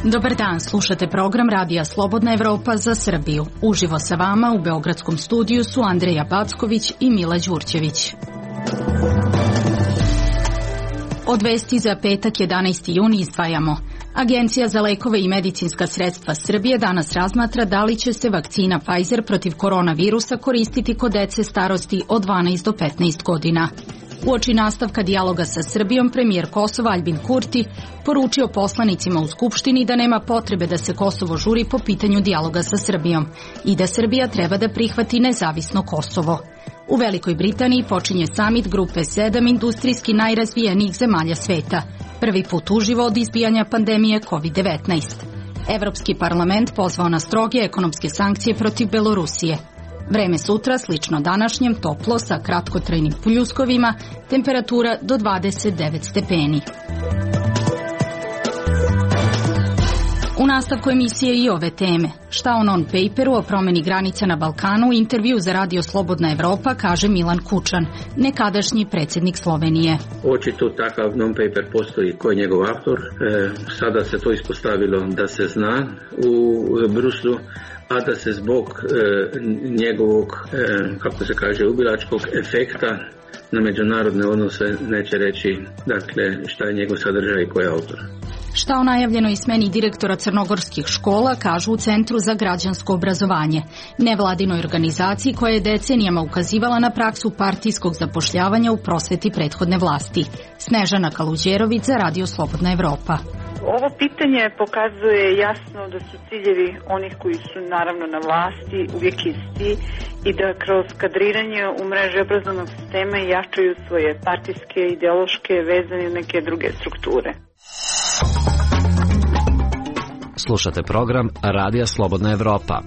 Dobar dan, slušate program Radija Slobodna Evropa za Srbiju. Uživo sa vama u beogradskom studiju su Andreja Backović i Mila Đurđević. Od vesti za petak 11. juni izdvajamo. Agencija za lekove i medicinska sredstva Srbije danas razmatra da li će se vakcina Pfizer protiv koronavirusa koristiti kod dece starosti od 12 do 15 godina. Uoči nastavka dijaloga sa Srbijom, premijer Kosova Aljbin Kurti poručio poslanicima u Skupštini da nema potrebe da se Kosovo žuri po pitanju dijaloga sa Srbijom i da Srbija treba da prihvati nezavisno Kosovo. U Velikoj Britaniji počinje samit grupe 7 industrijski najrazvijenijih zemalja sveta, prvi put uživo od izbijanja pandemije COVID-19. Evropski parlament pozvao na stroge ekonomske sankcije protiv Belorusije. Vreme sutra slično današnjem, toplo sa kratkotrajnim pljuskovima, temperatura do 29 stepeni. U nastavku emisije i ove teme. Šta o non-paperu o promeni granica na Balkanu, u intervju za Radio Slobodna Evropa kaže Milan Kučan, nekadašnji predsjednik Slovenije. Očito takav non-paper postoji, ko je njegov autor. Sada se to ispostavilo da se zna u Bruslu, a da se zbog njegovog, kako se kaže, ubilačkog efekta na međunarodne odnose neće reći, dakle, šta je njegov sadržaj i ko je autor. Šta o najavljenoj smeni direktora crnogorskih škola kažu u Centru za građansko obrazovanje, nevladinoj organizaciji koja je decenijama ukazivala na praksu partijskog zapošljavanja u prosveti prethodne vlasti. Snežana Kaluđerović za Radio Slobodna Evropa. Ovo pitanje pokazuje jasno da su ciljevi onih koji su naravno na vlasti uvijek isti i da kroz kadriranje u mreži obrazovnog sistema jačaju svoje partijske, ideološke, vezane i neke druge strukture. Slušate program Radija Slobodna Evropa.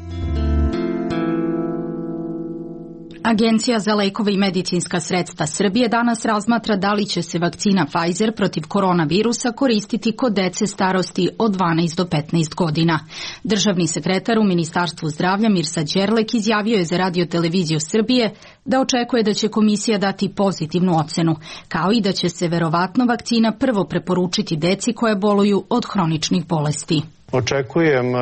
Agencija za lekove i medicinska sredstva Srbije danas razmatra da li će se vakcina Pfizer protiv koronavirusa koristiti kod dece starosti od 12 do 15 godina. Državni sekretar u Ministarstvu zdravlja Mirsa Đerlek izjavio je za Radio televiziju Srbije da očekuje da će komisija dati pozitivnu ocenu, kao i da će se verovatno vakcina prvo preporučiti deci koje boluju od hroničnih bolesti. Očekujem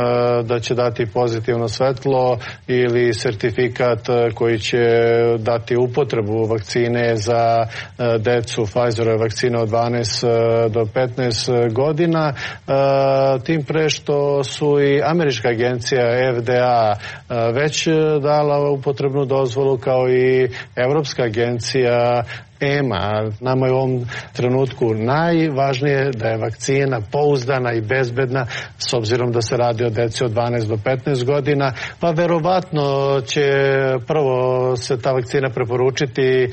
da će dati pozitivno svetlo ili sertifikat koji će dati upotrebu vakcine za decu, Pfizerove vakcine od 12 do 15 godina, tim pre što su i američka agencija FDA već dala upotrebnu dozvolu, kao i Evropska agencija EMA. Nama je u ovom trenutku najvažnije da je vakcina pouzdana i bezbedna, s obzirom da se radi o deci od 12 do 15 godina, pa verovatno će prvo se ta vakcina preporučiti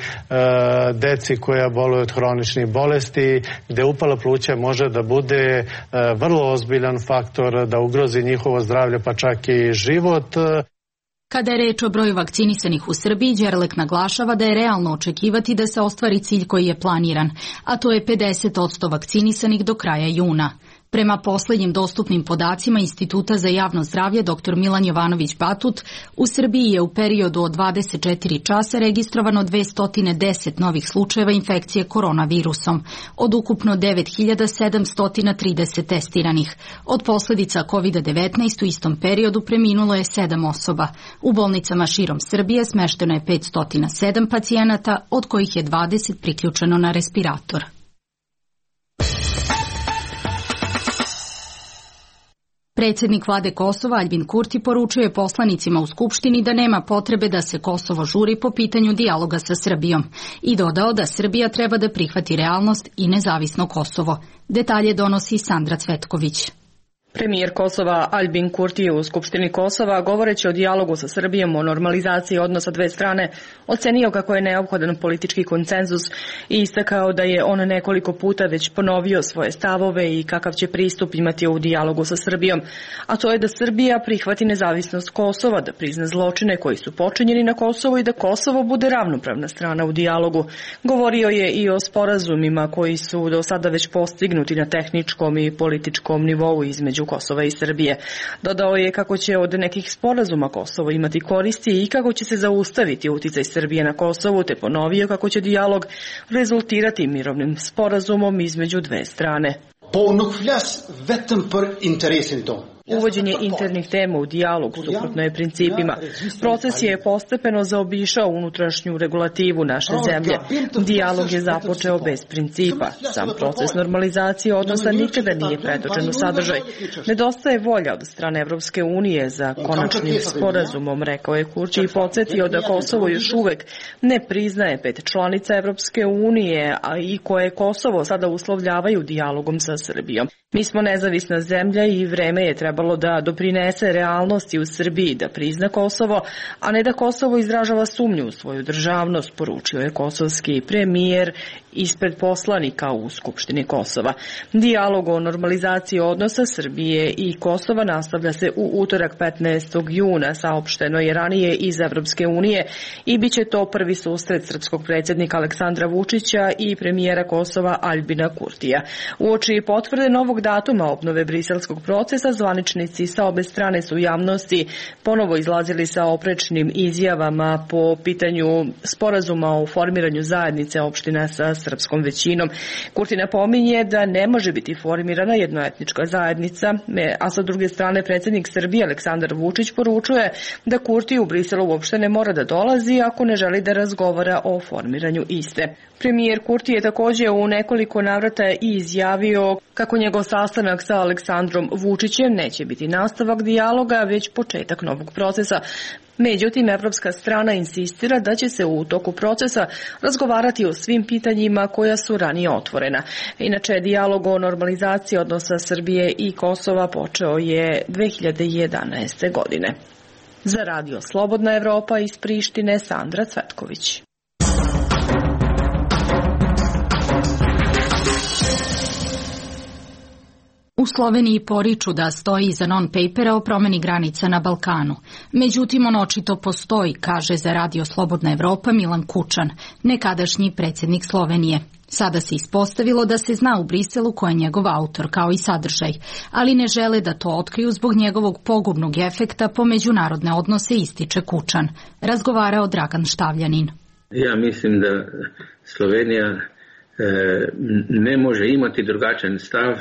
deci koja boluju od hroničnih bolesti, gde upala pluća može da bude vrlo ozbiljan faktor da ugrozi njihovo zdravlje, pa čak i život. Kada je reč o broju vakcinisanih u Srbiji, Đerlek naglašava da je realno očekivati da se ostvari cilj koji je planiran, a to je 50% vakcinisanih do kraja juna. Prema poslednjim dostupnim podacima Instituta za javno zdravlje dr. Milan Jovanović Batut, u Srbiji je u periodu od 24 časa registrovano 210 novih slučajeva infekcije koronavirusom, od ukupno 9730 testiranih. Od posledica COVID-19 u istom periodu preminulo je 7 osoba. U bolnicama širom Srbije smešteno je 507 pacijenata, od kojih je 20 priključeno na respirator. Predsjednik vlade Kosova Aljbin Kurti poručio je poslanicima u Skupštini da nema potrebe da se Kosovo žuri po pitanju dijaloga sa Srbijom i dodao da Srbija treba da prihvati realnost i nezavisno Kosovo. Detalje donosi Sandra Cvetković. Premijer Kosova Aljbin Kurti je u Skupštini Kosova, govoreći o dijalogu sa Srbijom o normalizaciji odnosa dve strane, ocenio kako je neophodan politički konsenzus i istakao da je on nekoliko puta već ponovio svoje stavove i kakav će pristup imati u dijalogu sa Srbijom, a to je da Srbija prihvati nezavisnost Kosova, da prizna zločine koji su počinjeni na Kosovu i da Kosovo bude ravnopravna strana u dijalogu. Govorio je i o sporazumima koji su do sada već postignuti na tehničkom i političkom nivou između Kosova i Srbije. Dodao je kako će od nekih sporazuma Kosovo imati koristi i kako će se zaustaviti uticaj Srbije na Kosovu, te ponovio kako će dijalog rezultirati mirovnim sporazumom između dve strane. Uvođenje internih tema u dijalog suprotno je principima. Proces je postepeno zaobišao unutrašnju regulativu naše zemlje. Dijalog je započeo bez principa. Sam proces normalizacije odnosa nikada nije pretočen u sadržaj. Nedostaje volja od strane Evropske unije za konačnim sporazumom, rekao je Kurti i podsjetio da Kosovo još uvek ne priznaje 5 članica Evropske unije, a i koje Kosovo sada uslovljavaju dijalogom sa Srbijom. Mi smo nezavisna zemlja i vreme je trebalo da doprinese realnosti u Srbiji da prizna Kosovo, a ne da Kosovo izražava sumnju u svoju državnost, poručio je kosovski premijer ispred poslanika u Skupštini Kosova. Dijalog o normalizaciji odnosa Srbije i Kosova nastavlja se u utorak 15. juna, saopšteno je ranije iz Evropske unije i bit će to prvi susret srpskog predsjednika Aleksandra Vučića i premijera Kosova Aljbina Kurtija. Uoči potvrde novog datuma obnove briselskog procesa, zvaničnici sa obe strane su u javnosti ponovo izlazili sa oprečnim izjavama po pitanju sporazuma o formiranju zajednice opština sa srpskom većinom. Kurti napominje da ne može biti formirana jednoetnička zajednica, a sa druge strane predsjednik Srbije Aleksandar Vučić poručuje da Kurti u Briselu uopšte ne mora da dolazi ako ne želi da razgovara o formiranju iste. Premijer Kurti je također u nekoliko navrata i izjavio kako njegov sastanak sa Aleksandrom Vučićem neće biti nastavak dijaloga, već početak novog procesa. Međutim, evropska strana insistira da će se u toku procesa razgovarati o svim pitanjima koja su ranije otvorena. Inače, dijalog o normalizaciji odnosa Srbije i Kosova počeo je 2011. godine. Za Radio Slobodna Evropa iz Prištine, Sandra Cvetković. U Sloveniji poriču da stoji iza non-papera o promeni granica na Balkanu. Međutim, on očito postoji, kaže za Radio Slobodna Evropa Milan Kučan, nekadašnji predsjednik Slovenije. Sada se ispostavilo da se zna u Briselu ko je njegov autor, kao i sadržaj, ali ne žele da to otkriju zbog njegovog pogubnog efekta po međunarodne odnose, ističe Kučan. Razgovarao Dragan Štavljanin. Ja mislim da Slovenija ne može imati drugačan stav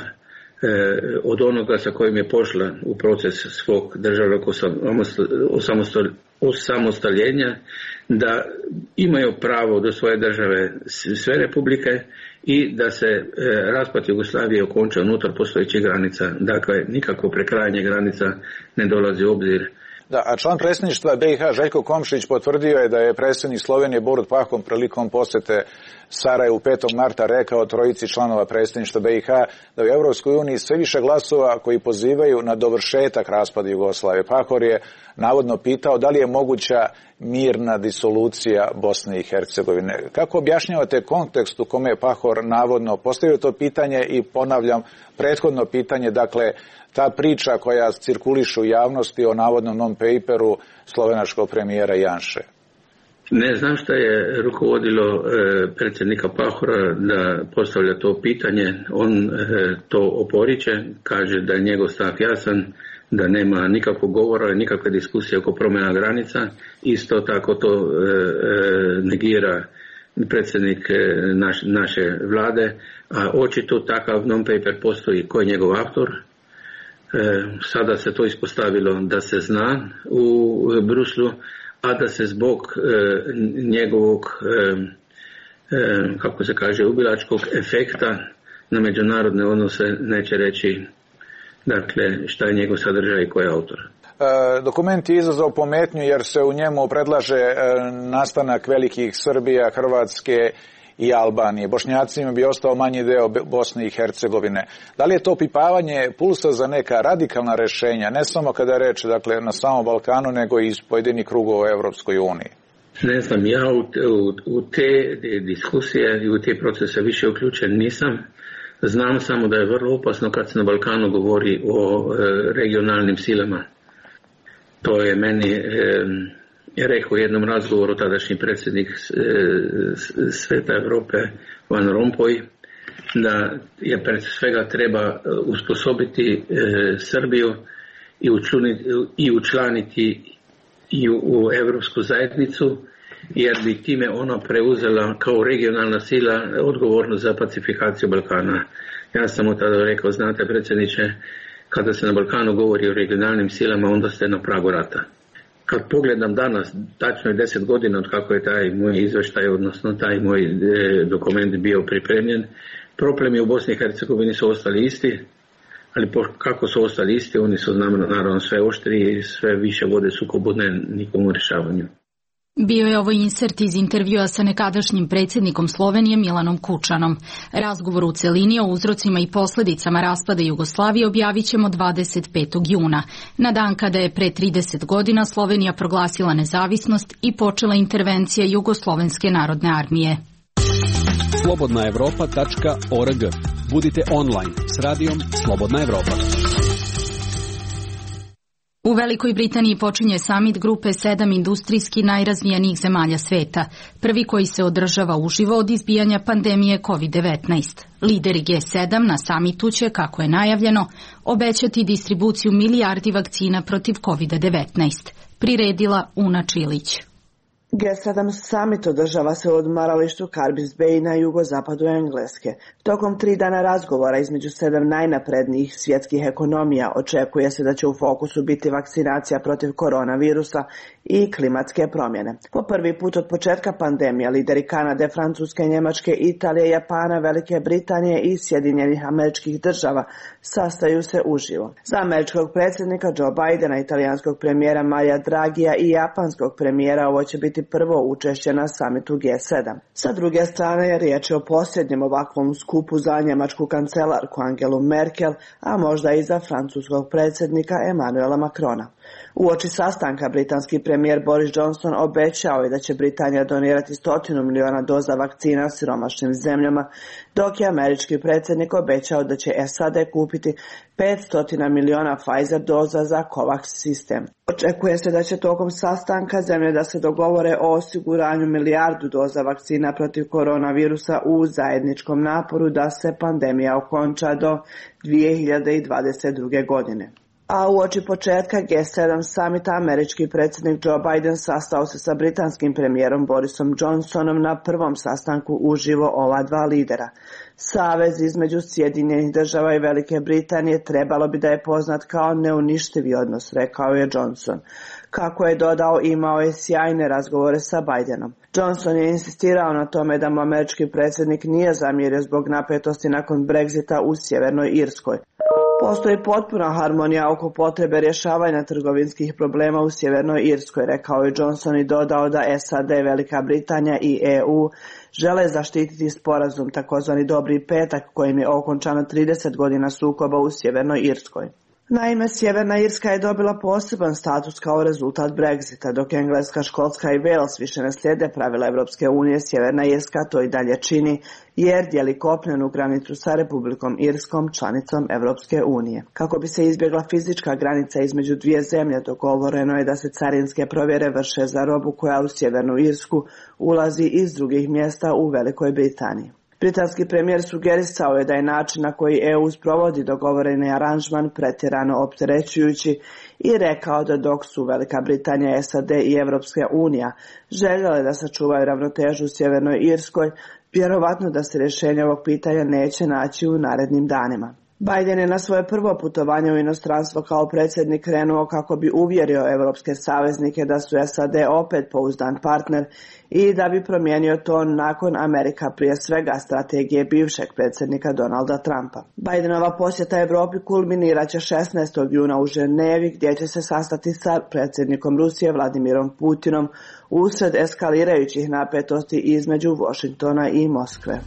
od onoga sa kojim je pošla u proces svog državnog osamostaljenja, da imaju pravo do svoje države sve republike i da se raspad Jugoslavije okonča unutar postojećih granica. Dakle, nikakvo prekrajanje granica ne dolazi u obzir. Da, a član predsjedništva BiH Željko Komšić potvrdio je da je predsjednik Slovenije Borut Pahom prilikom posjete Sarajevu 5. marta rekao trojici članova predsjedništva BiH da u Europskoj uniji sve više glasova koji pozivaju na dovršetak raspada Jugoslavije. Pahor je navodno pitao da li je moguća mirna disolucija Bosne i Hercegovine. Kako objašnjavate kontekst u kome je Pahor navodno postavio to pitanje i ponavljam prethodno pitanje, dakle ta priča koja cirkuliše u javnosti o navodnom non-paperu slovenačkog premijera Janše? Ne znam šta je rukovodilo predsjednika Pahora da postavlja to pitanje. On to oporiče, kaže da je njegov stav jasan, da nema nikakvog govora, nikakve diskusije oko promjena granica. Isto tako to negira predsjednik naše vlade, a očito takav non-paper postoji. Ko je njegov autor? Sada se to ispostavilo da se zna u Bruslu, a da se zbog njegovog, kako se kaže, ubilačkog efekta na međunarodne odnose neće reći, dakle, šta je njegov sadržaj i ko je autor. Dokument je izazvao pometnju jer se u njemu predlaže nastanak velikih Srbija, Hrvatske i Albanije. Bošnjacima bi ostao manji deo Bosne i Hercegovine. Da li je to opipavanje pulsa za neka radikalna rješenja, ne samo kada je reč dakle, na samom Balkanu, nego i iz pojedinih krugova u Evropskoj uniji? Ne znam, ja u te diskusije i u te procese više uključen nisam. Znam samo da je vrlo opasno kad se na Balkanu govori o regionalnim silama. To je meni rekao u jednom razgovoru tadašnji predsjednik Sveta Evrope Van Rompuy da je pred svega treba usposobiti Srbiju i učlaniti i u Evropsku zajednicu, jer bi time ona preuzela kao regionalna sila odgovornost za pacifikaciju Balkana. Ja sam mu tada rekao, znate predsjedniče, kada se na Balkanu govori o regionalnim silama, onda ste na pragu rata. Kad pogledam danas, tačno je 10 godina od kako je taj moj izveštaj, odnosno taj moj dokument bio pripremljen, problemi u Bosni i Hercegovini su ostali isti, ali kako su ostali isti, oni su naravno sve oštriji i sve više vode sukobudne nikomu rješavanju. Bio je ovo insert iz intervjua sa nekadašnjim predsjednikom Slovenije Milanom Kučanom. Razgovor u celini o uzrocima i posljedicama raspada Jugoslavije objavit ćemo 25. juna, na dan kada je pre 30 godina Slovenija proglasila nezavisnost i počela intervencija Jugoslovenske narodne armije. slobodnaevropa.org. Budite online s radijom Slobodna Evropa. U Velikoj Britaniji počinje samit grupe 7 industrijski najrazvijenijih zemalja sveta, prvi koji se održava uživo od izbijanja pandemije COVID-19. Lideri G7 na samitu će, kako je najavljeno, obećati distribuciju milijardi vakcina protiv COVID-19. Priredila Una Čilić. G7 summit održava se u odmaralištu Carbis Bay na jugozapadu Engleske. Tokom 3 dana razgovora između 7 najnaprednijih svjetskih ekonomija očekuje se da će u fokusu biti vakcinacija protiv koronavirusa i klimatske promjene. Po prvi put od početka pandemije lideri Kanade, Francuske, Njemačke, Italije, Japana, Velike Britanije i Sjedinjenih Američkih Država sastaju se uživo. Za američkog predsjednika Joe Bidena, italijanskog premijera Maria Draghija i japanskog premijera ovo će biti prvo učešće na samitu G7. Sa druge strane, riječ je o posljednjem ovakvom skupu za njemačku kancelarku Angelu Merkel, a možda i za francuskog predsjednika Emmanuela Macrona. Uoči sastanka britanski premijer Boris Johnson obećao je da će Britanija donirati 100 miliona doza vakcina siromašnim zemljama, dok je američki predsjednik obećao da će SAD kupiti 500 miliona Pfizer doza za COVAX sistem. Očekuje se da će tokom sastanka zemlje da se dogovore o osiguranju milijardu doza vakcina protiv koronavirusa u zajedničkom naporu da se pandemija okonča do 2022. godine. A uoči početka G7 samita američki predsjednik Joe Biden sastao se sa britanskim premijerom Borisom Johnsonom na prvom sastanku uživo ova dva lidera. Savez između Sjedinjenih Država i Velike Britanije trebalo bi da je poznat kao neuništivi odnos, rekao je Johnson. Kako je dodao, imao je sjajne razgovore sa Bidenom. Johnson je insistirao na tome da mu američki predsjednik nije zamjerio zbog napetosti nakon Brexita u Sjevernoj Irskoj. Postoji potpuna harmonija oko potrebe rješavanja trgovinskih problema u Sjevernoj Irskoj, rekao je Johnson i dodao da SAD, Velika Britanija i EU žele zaštititi sporazum takozvani Dobri petak kojim je okončano 30 godina sukoba u Sjevernoj Irskoj. Naime, Sjeverna Irska je dobila poseban status kao rezultat Brexita, dok Engleska, Škotska i Wales više ne slijede pravila Europske unije, Sjeverna Irska to i dalje čini, jer dijeli kopnenu granicu sa Republikom Irskom, članicom Europske unije. Kako bi se izbjegla fizička granica između dvije zemlje, dogovoreno je da se carinske provjere vrše za robu koja u Sjevernu Irsku ulazi iz drugih mjesta u Velikoj Britaniji. Britanski premijer sugerisao je da je način na koji EU sprovodi dogovoreni aranžman pretjerano opterećujući i rekao da dok su Velika Britanija, SAD i Europska unija željele da sačuvaju ravnotežu u Sjevernoj Irskoj, vjerovatno da se rješenje ovog pitanja neće naći u narednim danima. Biden je na svoje prvo putovanje u inostranstvo kao predsjednik krenuo kako bi uvjerio europske saveznike da su SAD opet pouzdan partner i da bi promijenio to nakon Amerika prije svega strategije bivšeg predsjednika Donalda Trumpa. Bidenova posjeta Europi kulminirat će 16. juna u Ženevi gdje će se sastati sa predsjednikom Rusije Vladimirom Putinom usred eskalirajućih napetosti između Washingtona i Moskve.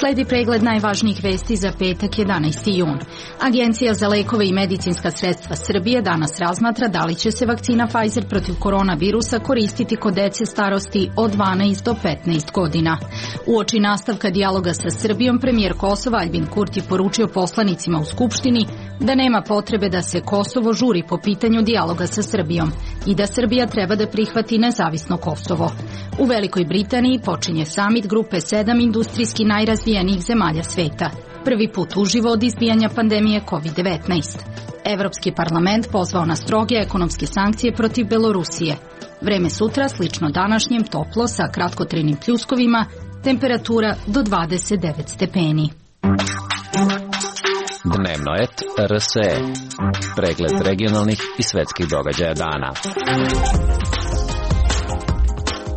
Sledi pregled najvažnijih vesti za petak 11. jun. Agencija za lekove i medicinska sredstva Srbije danas razmatra da li će se vakcina Pfizer protiv koronavirusa koristiti kod dece starosti od 12 do 15 godina. Uoči nastavka dijaloga sa Srbijom, premijer Kosova Albin Kurti poručio poslanicima u Skupštini da nema potrebe da se Kosovo žuri po pitanju dijaloga sa Srbijom i da Srbija treba da prihvati nezavisno Kosovo. U Velikoj Britaniji počinje samit grupe 7 industrijski najrazvijenijih zemalja sveta. Prvi put uživo od izbijanja pandemije COVID-19. Evropski parlament pozvao na stroge ekonomske sankcije protiv Belorusije. Vreme sutra slično današnjem, toplo sa kratkotrajnim pljuskovima, temperatura do 29 stepeni. Dnevno et RSE. Pregled regionalnih i svetskih događaja dana.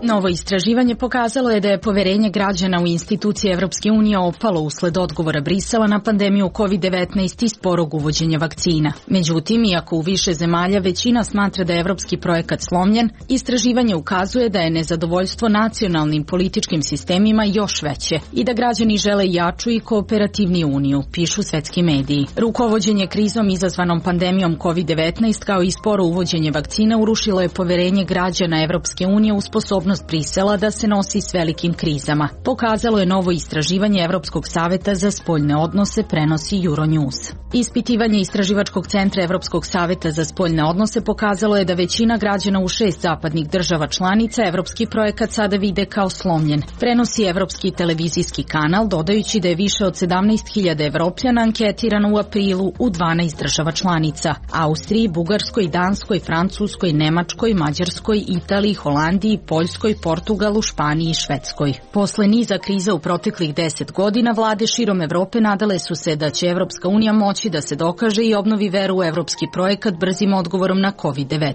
Novo istraživanje pokazalo je da je poverenje građana u institucije Evropske unije opalo usled odgovora Brisela na pandemiju COVID-19 i sporog uvođenja vakcina. Međutim, iako u više zemalja većina smatra da je evropski projekat slomljen, istraživanje ukazuje da je nezadovoljstvo nacionalnim političkim sistemima još veće i da građani žele jaču i kooperativniju uniju, pišu svetski mediji. Rukovođenje krizom izazvanom pandemijom COVID-19 kao i sporo uvođenje vakcina urušilo je poverenje građana Evropske unije u sposobnost Brisela da se nosi s velikim krizama. Pokazalo je novo istraživanje Evropskog saveta za spoljne odnose, prenosi Euronews. Ispitivanje Istraživačkog centra Evropskog saveta za spoljne odnose pokazalo je da većina građana u 6 zapadnih država članica evropski projekat sada vide kao slomljen. Prenosi Evropski televizijski kanal, dodajući da je više od 17.000 Evropljana anketirano u aprilu u 12 država članica: Austriji, Bugarskoj, Danskoj, Francuskoj, Nemačkoj, Mađarskoj, Italiji, Holandiji, Poljskoj, Portugalu, Španiji i Švedskoj. Posle niza kriza u proteklih 10 godina, vlade širom Evrope nadale su se da će Evropska unija moći da se dokaže i obnovi veru u evropski projekat brzim odgovorom na COVID-19.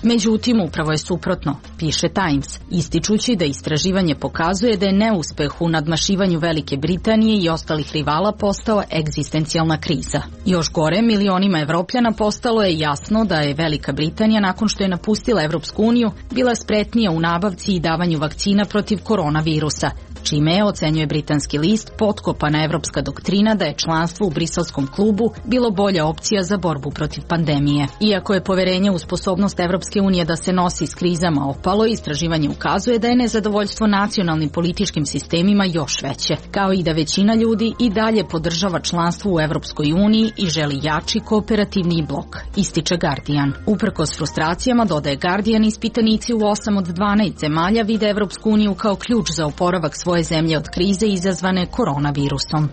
Međutim, upravo je suprotno, piše Times, ističući da istraživanje pokazuje da je neuspeh u nadmašivanju Velike Britanije i ostalih rivala postao egzistencijalna kriza. Još gore, milionima Evropljana postalo je jasno da je Velika Britanija, nakon što je napustila Evropsku uniju, bila spretnija u nabavci i davanju vakcina protiv koronavirusa, čime je, ocenjuje britanski list, potkopana evropska doktrina da je članstvo u Briselskom klubu bilo bolja opcija za borbu protiv pandemije. Iako je poverenje u sposobnost Evropske unije da se nosi s krizama opalo, istraživanje ukazuje da je nezadovoljstvo nacionalnim političkim sistemima još veće, kao i da većina ljudi i dalje podržava članstvo u Evropskoj uniji i želi jači kooperativni blok, ističe Guardian. Uprkos frustracijama, dodaje Guardian, ispitanici u 8 od 12 zemalja vide Evropsku uniju kao ključ za oporavak svoje zemlje od krize izazvane koronavirusom.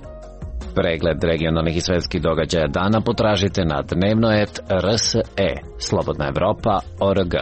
Pregled regionalnih i svetskih događaja dana potražite na dnevnoet.rse. Slobodna Evropa.org.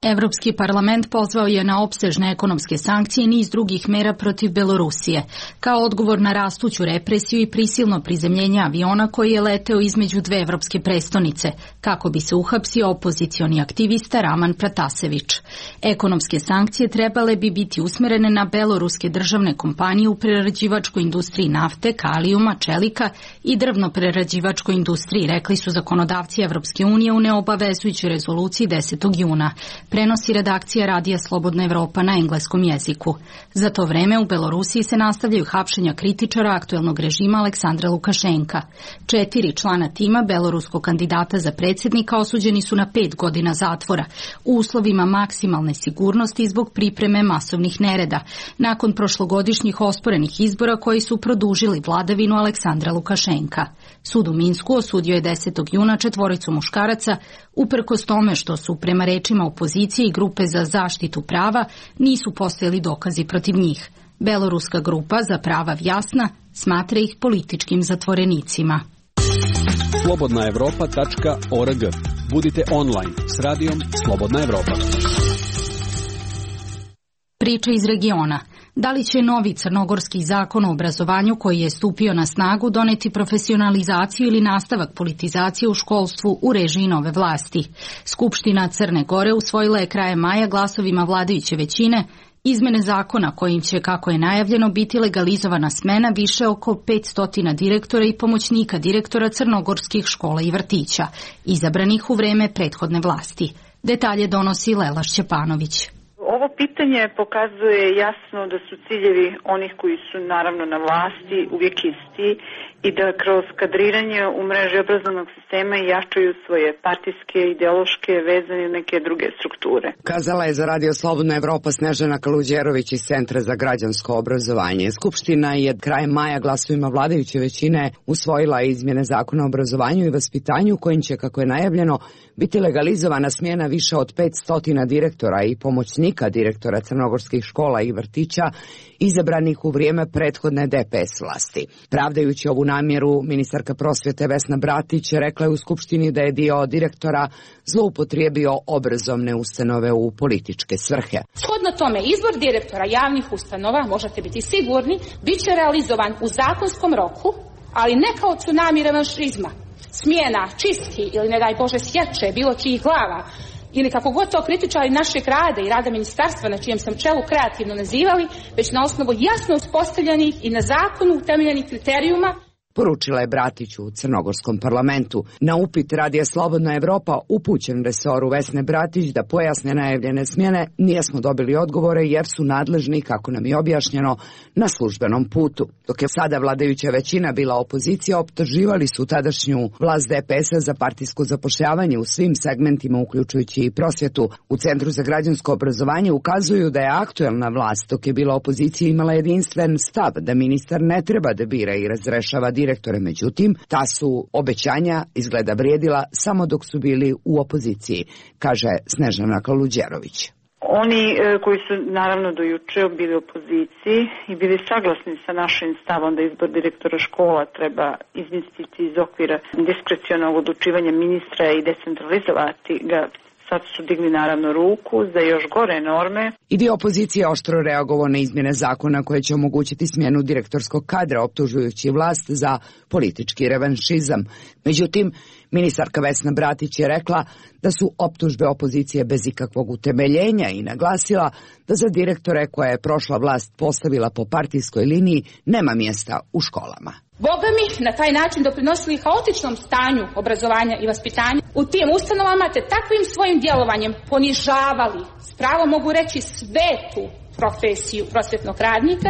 Evropski parlament pozvao je na opsežne ekonomske sankcije i niz drugih mera protiv Belorusije, kao odgovor na rastuću represiju i prisilno prizemljenje aviona koji je leteo između dve evropske prestonice, kako bi se uhapsio opozicioni aktivista Raman Pratasević. Ekonomske sankcije trebale bi biti usmerene na beloruske državne kompanije u prerađivačkoj industriji nafte, kalijuma, čelika i drvno-prerađivačkoj industriji, rekli su zakonodavci Evropske unije u neobavezujućoj rezoluciji 10. juna. Prenosi redakcija Radija Slobodna Evropa na engleskom jeziku. Za to vreme u Belorusiji se nastavljaju hapšenja kritičara aktuelnog režima Aleksandra Lukašenka. 4 člana tima beloruskog kandidata za predsjednika osuđeni su na 5 godina zatvora u uslovima maksimalne sigurnosti zbog pripreme masovnih nereda, nakon prošlogodišnjih osporenih izbora koji su produžili vladavinu Aleksandra Lukašenka. Sud u Minsku osudio je 10. juna 4 muškaraca, uprkos tome što su, prema rečima opozicije i grupe za zaštitu prava, nisu postojali dokazi protiv njih. Beloruska grupa za prava Vjasna smatra ih političkim zatvorenicima. Slobodnaevropa.org. Budite online s radijom Slobodna Evropa. Priča iz regiona. Da li će novi crnogorski zakon o obrazovanju koji je stupio na snagu doneti profesionalizaciju ili nastavak politizacije u školstvu u režiji nove vlasti? Skupština Crne Gore usvojila je krajem maja glasovima vladajuće većine izmene zakona kojim će, kako je najavljeno, biti legalizovana smena više oko 500 direktora i pomoćnika direktora crnogorskih škola i vrtića, izabranih u vreme prethodne vlasti. Detalje donosi Lela Šćepanović. Ovo pitanje pokazuje jasno da su ciljevi onih koji su naravno na vlasti uvijek isti i da kroz kadriranje u mreži obrazovnog sistema jačaju svoje partijske, ideološke vezane i neke druge strukture. Kazala je za Radio Slobodna Evropa Snežana Kaluđerović iz Centra za građansko obrazovanje. Skupština je krajem maja glasovima vladajuće većine usvojila izmjene Zakona o obrazovanju i vaspitanju kojim će, kako je najavljeno, biti legalizovana smjena više od 500 direktora i pomoćnika direktora crnogorskih škola i vrtića izabranih u vrijeme prethodne DPS vlasti. Pravdajući ovu namjeru, ministarka prosvjete Vesna Bratić rekla je u Skupštini da je dio direktora zloupotrijebio obrazovne ustanove u političke svrhe. Shodno tome, izbor direktora javnih ustanova, možete biti sigurni, bit će realizovan u zakonskom roku, ali ne kao tsunami revanšizma, smjena, čistki ili ne daj Bože sječe bilo čijih glava, ili kako god to kritičari našeg rada i rada ministarstva na čijem sam čelu kreativno nazivali, već na osnovu jasno uspostavljenih i na zakonu utemeljenih kriterijuma, poručila je Bratić u crnogorskom parlamentu. Na upit Radija Slobodna Evropa upućen resoru Vesne Bratić da pojasne najavljene smjene, nismo dobili odgovore jer su nadležni, kako nam je objašnjeno, na službenom putu. Dok je sada vladajuća većina bila opozicija, optuživali su tadašnju vlast DPS-a za partijsko zapošljavanje u svim segmentima, uključujući i prosvjetu. U Centru za građansko obrazovanje ukazuju da je aktuelna vlast, dok je bila opozicija, imala jedinstven stav da ministar ne treba da bira i razrešava direktore, međutim, ta su obećanja izgleda vrijedila samo dok su bili u opoziciji, kaže Snežana Kaluđerović. Oni koji su naravno do juče bili u opoziciji i bili saglasni sa našim stavom da izbor direktora škola treba izmjestiti iz okvira diskrecionog odlučivanja ministra i decentralizovati ga, sad su digli naravno ruku za još gore norme. I dio opozicije oštro reagovao na izmjene zakona koje će omogućiti smjenu direktorskog kadra, optužujući vlast za politički revanšizam. Međutim, ministarka Vesna Bratić je rekla da su optužbe opozicije bez ikakvog utemeljenja i naglasila da za direktore koje je prošla vlast postavila po partijskoj liniji nema mjesta u školama. Boga mi na taj način doprinosili haotičnom stanju obrazovanja i vaspitanja u tim ustanovama, te takvim svojim djelovanjem ponižavali, s pravom mogu reći, svetu profesiju prosvjetnog radnika,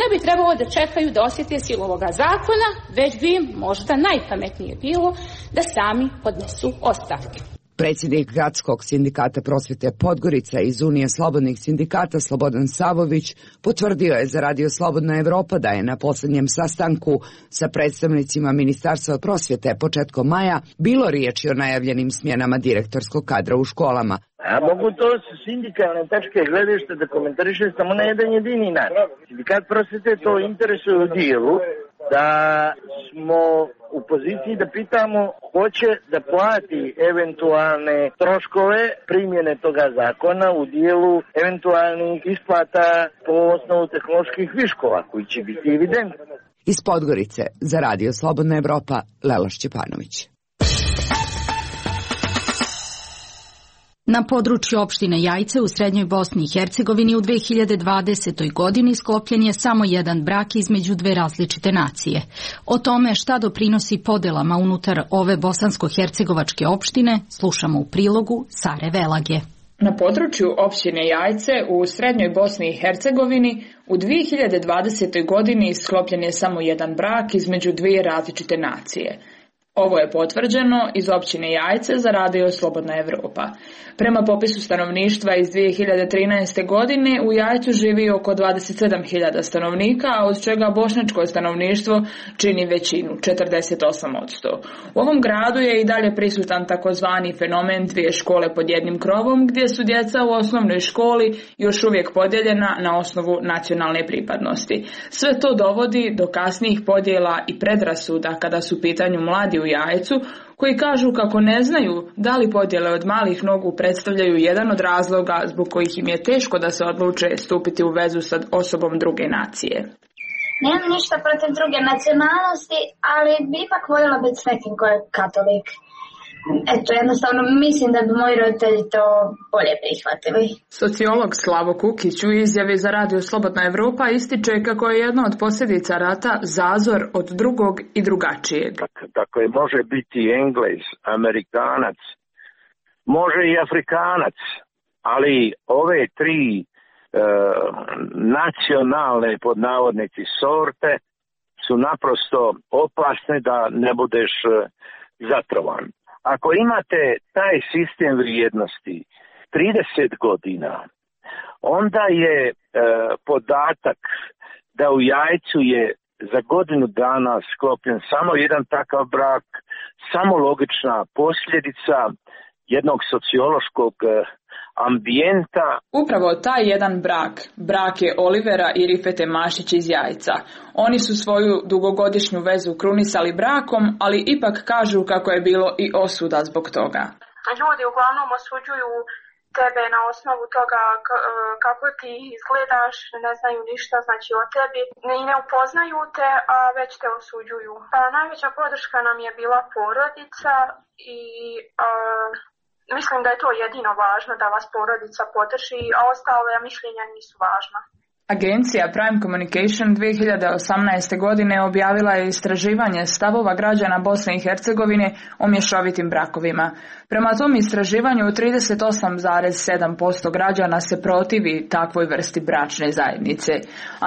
ne bi trebalo da čekaju da osjete silu ovoga zakona, već bi im možda najpametnije bilo da sami podnesu ostavke. Predsjednik Gradskog sindikata prosvjete Podgorica iz Unije slobodnih sindikata Slobodan Savović potvrdio je za Radio Slobodna Evropa da je na posljednjem sastanku sa predstavnicima Ministarstva prosvjete početkom maja bilo riječi o najavljenim smjenama direktorskog kadra u školama. A mogu to s sindikalne tačke gledišta da komentariše samo na jedan jedini način. Sindikat prosvjete to interesuje u dijelu da smo u poziciji da pitamo hoće da plati eventualne troškove primjene toga zakona u dijelu eventualnih isplata po osnovu tehnoloških viškova koji će biti evidentni. Iz Podgorice za Radio Slobodna Evropa, Lela Šćepanović. Na području opštine Jajce u Srednjoj Bosni i Hercegovini u 2020. godini sklopljen je samo jedan brak između dve različite nacije. O tome šta doprinosi podelama unutar ove bosansko-hercegovačke opštine slušamo u prilogu Sare Velage. Na području opštine Jajce u Srednjoj Bosni i Hercegovini u 2020. godini sklopljen je samo jedan brak između dvije različite nacije. Ovo je potvrđeno iz općine Jajce za Radio Slobodna Evropa. Prema popisu stanovništva iz 2013. godine u Jajcu živi oko 27.000 stanovnika, a od čega bošnjačko stanovništvo čini većinu, 48%. U ovom gradu je i dalje prisutan takozvani fenomen dvije škole pod jednim krovom, gdje su djeca u osnovnoj školi još uvijek podijeljena na osnovu nacionalne pripadnosti. Sve to dovodi do kasnijih podjela i predrasuda kada su u pitanju mladi u Jajcu, koji kažu kako ne znaju da li podjele od malih nogu predstavljaju jedan od razloga zbog kojih im je teško da se odluče stupiti u vezu sa osobom druge nacije. Nemam ništa protiv druge nacionalnosti, ali bi ipak voljela biti s nekim ko je katolik. Eto, jednostavno mislim da bi moji roditelji to bolje prihvatili. Sociolog Slavo Kukić u izjavi za Radio Slobodna Evropa ističe kako je jedna od posljedica rata zazor od drugog i drugačijeg. Dakle, može biti Englez, Amerikanac, može i Afrikanac, ali ove tri nacionalne pod navodnici sorte su naprosto opasne da ne budeš zatrovan. Ako imate taj sistem vrijednosti 30 godina, onda je podatak da u Jajcu je za godinu dana sklopljen samo jedan takav brak, samo logična posljedica jednog sociološkog ambijenta. Upravo taj jedan brak je Olivera i Rifete Mašić iz Jajca. Oni su svoju dugogodišnju vezu krunisali brakom, ali ipak kažu kako je bilo i osuda zbog toga. Ljudi uglavnom osuđuju tebe na osnovu toga kako ti izgledaš, ne znaju ništa znači o tebi i ne upoznaju te, a već te osuđuju. Najveća podrška nam je bila porodica i mislim da je to jedino važno, da vas porodica podrži, a ostale mišljenja nisu važna. Agencija Prime Communication 2018. godine objavila je istraživanje stavova građana Bosne i Hercegovine o mješovitim brakovima. Prema tom istraživanju 38,7% građana se protivi takvoj vrsti bračne zajednice.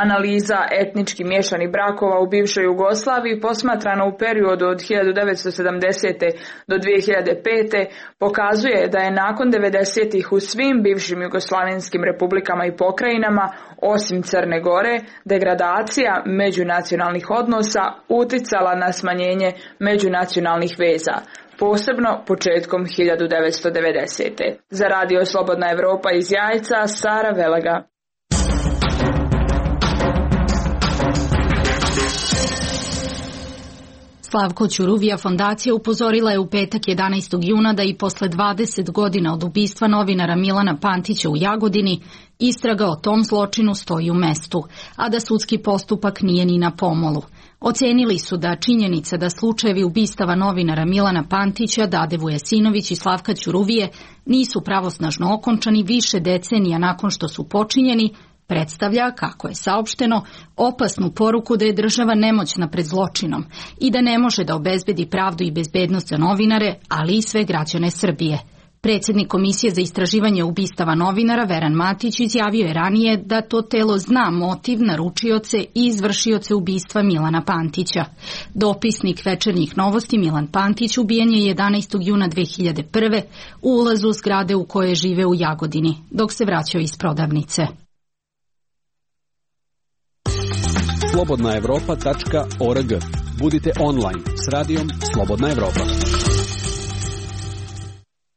Analiza etnički miješanih brakova u bivšoj Jugoslaviji posmatrana u periodu od 1970. do 2005. pokazuje da je nakon 90-ih u svim bivšim jugoslavenskim republikama i pokrajinama, osim Crne Gore, degradacija međunacionalnih odnosa uticala na smanjenje međunacionalnih veza, posebno početkom 1990. Za Radio Slobodna Evropa iz Jajca, Sara Velaga. Slavko Ćuruvija fondacija upozorila je u petak 11. juna da i posle 20 godina od ubistva novinara Milana Pantića u Jagodini istraga o tom zločinu stoji u mestu, a da sudski postupak nije ni na pomolu. Ocenili su da činjenica da slučajevi ubistava novinara Milana Pantića, Dade Vujesinović i Slavka Ćuruvije nisu pravosnažno okončani više decenija nakon što su počinjeni, predstavlja, kako je saopšteno, opasnu poruku da je država nemoćna pred zločinom i da ne može da obezbedi pravdu i bezbednost za novinare, ali i sve građane Srbije. Predsjednik Komisije za istraživanje ubistava novinara Veran Matić izjavio je ranije da to telo zna motiv, naručioce i izvršioce ubistva Milana Pantića. Dopisnik Večernjih novosti Milan Pantić ubijen je 11. juna 2001. u ulazu zgrade u kojoj žive u Jagodini, dok se vraćao iz prodavnice. slobodnaevropa.org. Budite online s radijom Slobodna Evropa.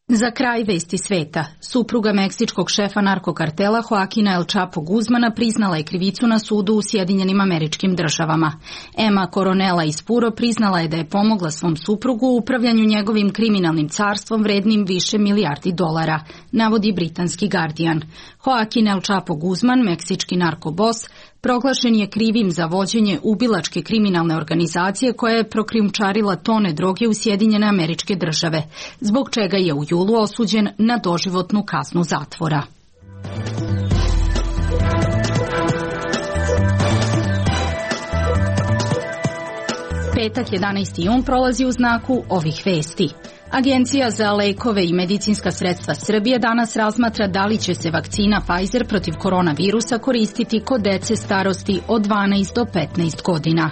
Za kraj vesti sveta, supruga meksičkog šefa narkokartela Joaquina El Chapo Guzmana priznala je krivicu na sudu u Sjedinjenim Američkim Državama. Emma Coronela iz Puro priznala je da je pomogla svom suprugu u upravljanju njegovim kriminalnim carstvom vrednim više milijardi dolara, navodi britanski Guardian. Joaquin El Chapo Guzman, meksički narkobos, proglašen je krivim za vođenje ubilačke kriminalne organizacije koja je prokrijumčarila tone droge u Sjedinjene Američke Države, zbog čega je u julu osuđen na doživotnu kaznu zatvora. Petak 11. jun prolazi u znaku ovih vesti. Agencija za lekove i medicinska sredstva Srbije danas razmatra da li će se vakcina Pfizer protiv koronavirusa koristiti kod dece starosti od 12 do 15 godina.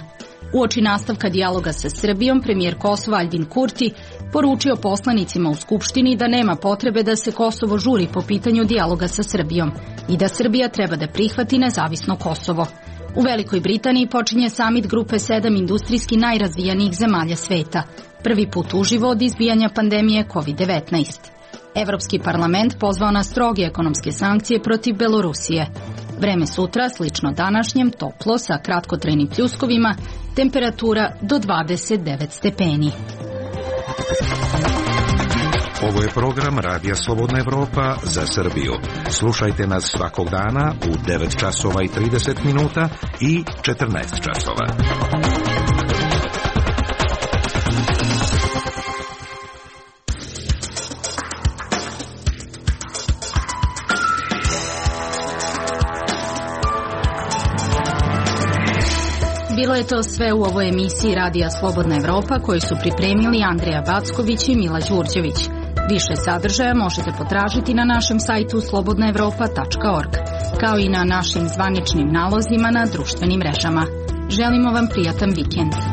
Uoči nastavka dijaloga sa Srbijom, premijer Kosova Aljbin Kurti poručio poslanicima u Skupštini da nema potrebe da se Kosovo žuri po pitanju dijaloga sa Srbijom i da Srbija treba da prihvati nezavisno Kosovo. U Velikoj Britaniji počinje samit grupe 7 industrijski najrazvijanijih zemalja sveta, prvi put uživo od izbijanja pandemije COVID-19. Evropski parlament pozvao na stroge ekonomske sankcije protiv Belorusije. Vreme sutra, slično današnjem, toplo sa kratkotrajnim pljuskovima, temperatura do 29 stepeni. Ovo je program Radija Slobodna Evropa za Srbiju. Slušajte nas svakog dana u 9 časova i 30 minuta i 14 časova. Bilo je to sve u ovoj emisiji Radija Slobodna Evropa koju su pripremili Andreja Backović i Mila Đurđević. Više sadržaja možete potražiti na našem sajtu slobodnaevropa.org, kao i na našim zvaničnim nalozima na društvenim mrežama. Želimo vam prijatan vikend.